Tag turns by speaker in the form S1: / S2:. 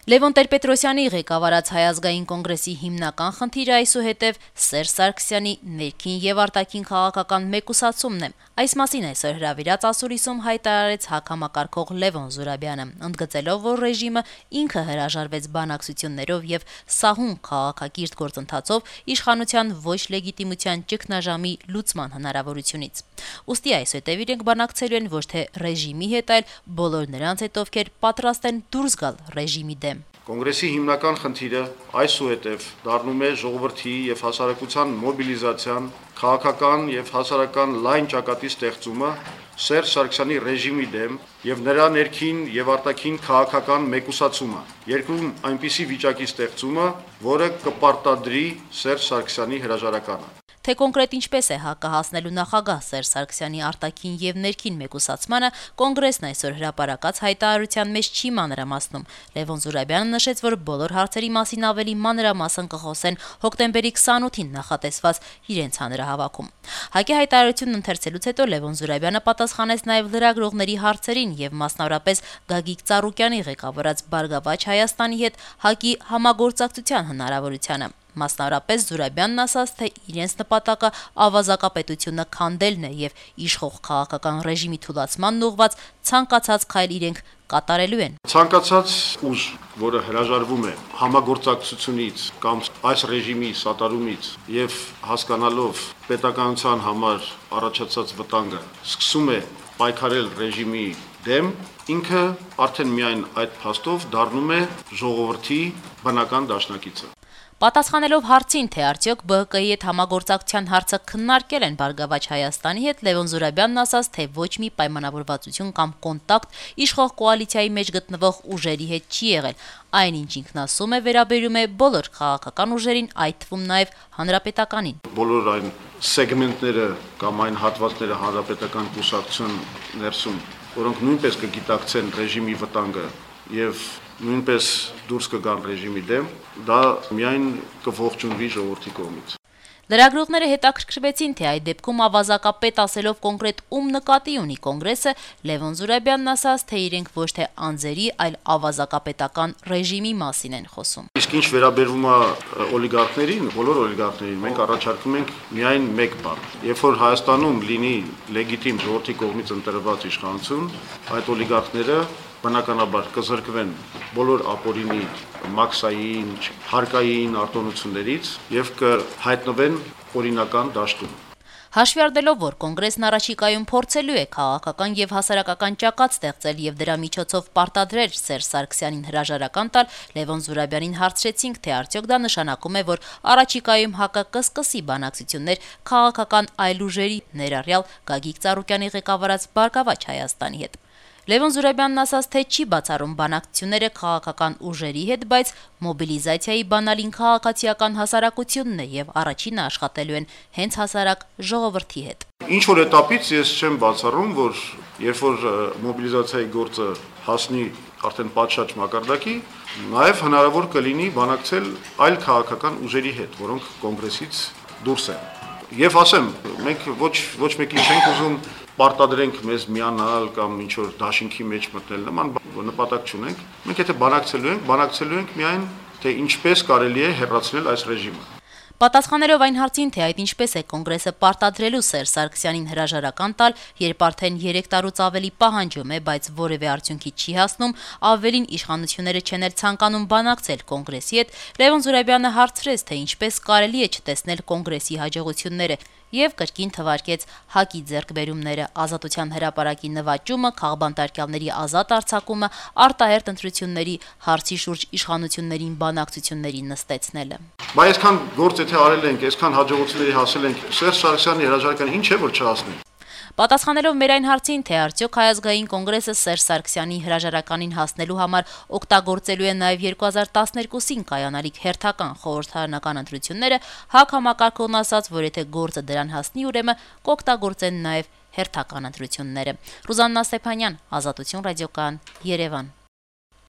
S1: Լևոն Տեր-Պետրոսյանի ղեկավարած Հայ ազգային կոնգրեսի հիմնական խնդիրը այսուհետև Սերժ Սարգսյանի ներքին եւ արտաքին քաղաքական մեկուսացումն է։ Այս մասին այսօր հրավիրած ասուլիսում հայտարարեց հակամակարգող Լևոն Զուրաբյանը, ընդգծելով, որ ռեժիմը ինքը հրաժարվեց բանակցություններով եւ սահուն քաղաքակիրթ գործընթացով իշխանության ոչ լեգիտիմության ճգնաժամի լուծման հնարավորությունից։ Ուստի այսուհետև իրենք բանակցելու են ոչ թե ռեժիմի հետ, այլ բոլոր նրանց հետ, ովքեր պատրաստ են դուրս գալ ռեժիմի դեմ։
S2: Կոնգրեսի հիմնական խնդիրը այսուհետև դառնում է ժողովրդի եւ հասարակության մոբիլիզացիան, քաղաքական եւ հասարակական լայն ճակատի ստեղծումը Սերժ Սարգսյանի ռեժիմի դեմ եւ նրա ներքին եւ արտաքին քաղաքական մեկուսացումը, երկրում այնպիսի վիճակի ստեղծումը, որը կպարտադրի Սերժ Սարգսյանի հրաժարականը։
S1: Թե կոնկրետ ինչպես է հակահասնելու նախագահ Սերժ Սարգսյանի արտաքին եւ ներքին մեկուսացմանը, կոնգրեսն այսօր հրապարակած հայտարարության մեջ չի մանրամասնում։ Լևոն Զուրաբյանը նշեց, որ բոլոր հարցերի մասին ավելի մանրամասն կխոսեն հոկտեմբերի 28-ին նախատեսված իրենց հանրահավաքում։ ՀԱԿ-ի հայտարարությունն ընթերցելուց հետո Լևոն Զուրաբյանը պատասխանեց նաեւ լրագրողների հարցերին եւ մասնավորապես Գագիկ Ծառուկյանի ղեկավարած Բարգավաճ Հայաստանի հետ ՀԱԿ-ի համագործակցության հնարավորությանը։ Մասնավորապես Զուրաբյանն ասաց, թե իրենց նպատակը ավազակապետությունը քանդելն է եւ իշխող քաղաքական ռեժիմի թուլացմանն ուղղված ցանկացած քայլ իրենք կատարելու են։
S2: Ցանկացած ուժ, որը հրաժարվում է համագործակցությունից կամ այս ռեժիմի սատարումից եւ հասկանալով պետականության համար առաջացած վտանգը, սկսում է պայքարել ռեժիմի դեմ, ինքը արդեն միայն այդ փաստով դառնում է ժողովրդի բնական դաշնակիցը։
S1: Պատասխանելով հարցին, թե արդյոք ԲՀԿ-ի հետ համագործակցության հարցը քննարկել են Բարգավաճ Հայաստանի հետ, Լևոն Զուրաբյանն ասաց, թե ոչ մի պայմանավորվածություն կամ կոնտակտ իշխող կոալիցիայի մեջ գտնվող ուժերի հետ չի եղել։ Այնինչ ինքն ասում է, վերաբերում է բոլոր քաղաքական ուժերին, այդ թվում նաև հանրապետականին։
S2: Բոլոր այն սեգմենտները կամ այն հատվածները հանրապետական կուսակցության ներսում, որոնք նույնպես կգիտակցեն ռեժիմի վտանգը եւ նույնպես դուրս կգան ռեժիմի դեմ, դա միայն կողջունվի ժողովրդի կողմից։
S1: Լրագրողները հետաքրքրվեցին, թե այդ դեպքում ավազակապետ ասելով կոնկրետ ում նկատի ունի կոնգրեսը, Լևոն Զուրաբյանն ասաց, թե իրենք ոչ թե անձերի, այլ ավազակապետական ռեժիմի մասին են խոսում։
S2: Իսկ ինչ վերաբերվում է օլիգարխներին, բոլոր օլիգարխներին, մենք առաջարկում ենք միայն մեկ բան։ Երբ որ Հայաստանում լինի լեգիտիմ ժողովրդի կողմից ընտրված իշխանություն, այդ օլիգարխները բնականաբար կզրկվեն բոլոր ապօրինի, մաքսային, հարկային արտոնություններից եւ կհայտնվեն օրինական դաշտում։
S1: Հաշվի առնելով, որ կոնգրեսն առաջիկայում փորձելու է քաղաքական եւ հասարակական ճակատ ստեղծել եւ դրա միջոցով պարտադրել Սերժ Սարգսյանին հրաժարական տալ, Լևոն Զուրաբյանին հարցրեցինք, թե արդյոք դա նշանակում է, որ առաջիկայում ՀԱԿ-ը կսկսի բանակցություններ քաղաքական այլ ուժերի, ներառյալ Գագիկ Ծառուկյանի ղեկավարած Բարգավաճ Հայաստանի հետ։ Լևոն Զուրաբյանն ասաց, թե չի բացառում բանակցությունները քաղաքական ուժերի հետ, բայց մոբիլիզացիայի բանալին քաղաքացիական հասարակությունն է եւ առաջինը աշխատելու են հենց հասարակ ժողովրդի հետ։
S2: Ինչ որ этаպից ես չեմ բացառում, որ երբ որ մոբիլիզացիայի գործը հասնի արդեն պատշաճ մակարդակի, նաեւ հնարավոր կլինի բանակցել այլ քաղաքական ուժերի հետ, որոնք կոնգրեսից դուրս են։ Եվ ասեմ, մենք ոչ մեկին չենք ուզում պարտադրենք մեզ միանալ կամ ինչ որ դաշինքի մեջ մտնել, նման նպատակ չունենք։ Մենք եթե բանակցելու ենք միայն թե ինչպես կարելի է հեռացնել այս ռեժիմը։
S1: Պատասխանելով այն հարցին, թե այդ ինչպես է կոնգրեսը պարտադրելու Սերժ Սարգսյանին հրաժարական տալ, երբ արդեն 3 տարուց ավելի պահանջում է, բայց որևէ արդյունքի չի հասնում, ավելին իշխանությունները չեն էլ ցանկանում բանակցել կոնգրեսի հետ, Լևոն Զուրաբյանը հարցրեց, թե ինչպես կարելի է չտեսնել կոնգրեսի հաջողությունները եւ կրկին թվարկեց ՀԱԿ-ի ձեռքբերումները, Ազատության հրապարակի նվաճումը, քաղբանտարկյալների ազատ արձակումը, արտահերթ ընտրությունների հարցի շուրջ իշխանություններին բանակցությունների նստեցնելը։
S2: Բայց այսքան գործ եթե արել ենք, այսքան հաջողությունների հասել ենք, Սերժ Սարգսյանի հրաժարականը ինչ է որ չհասնի։
S1: Պատասխանելով մեր այն հարցին, թե արդյոք Հայ ազգային կոնգրեսը Սերժ Սարգսյանի հրաժարականին հասնելու համար օգտագործելու է նաև 2012-ին կայանալիք հերթական խորհրդարանական ընտրությունները, ՀԱԿ համակարգողն ասաց, որ եթե գործը դրան հասնի, ուրեմն կօգտագործեն նաև հերթական ընտրությունները։ Ռուզաննա Ստեփանյան, Ազատություն ռադիոկայան, Երևան։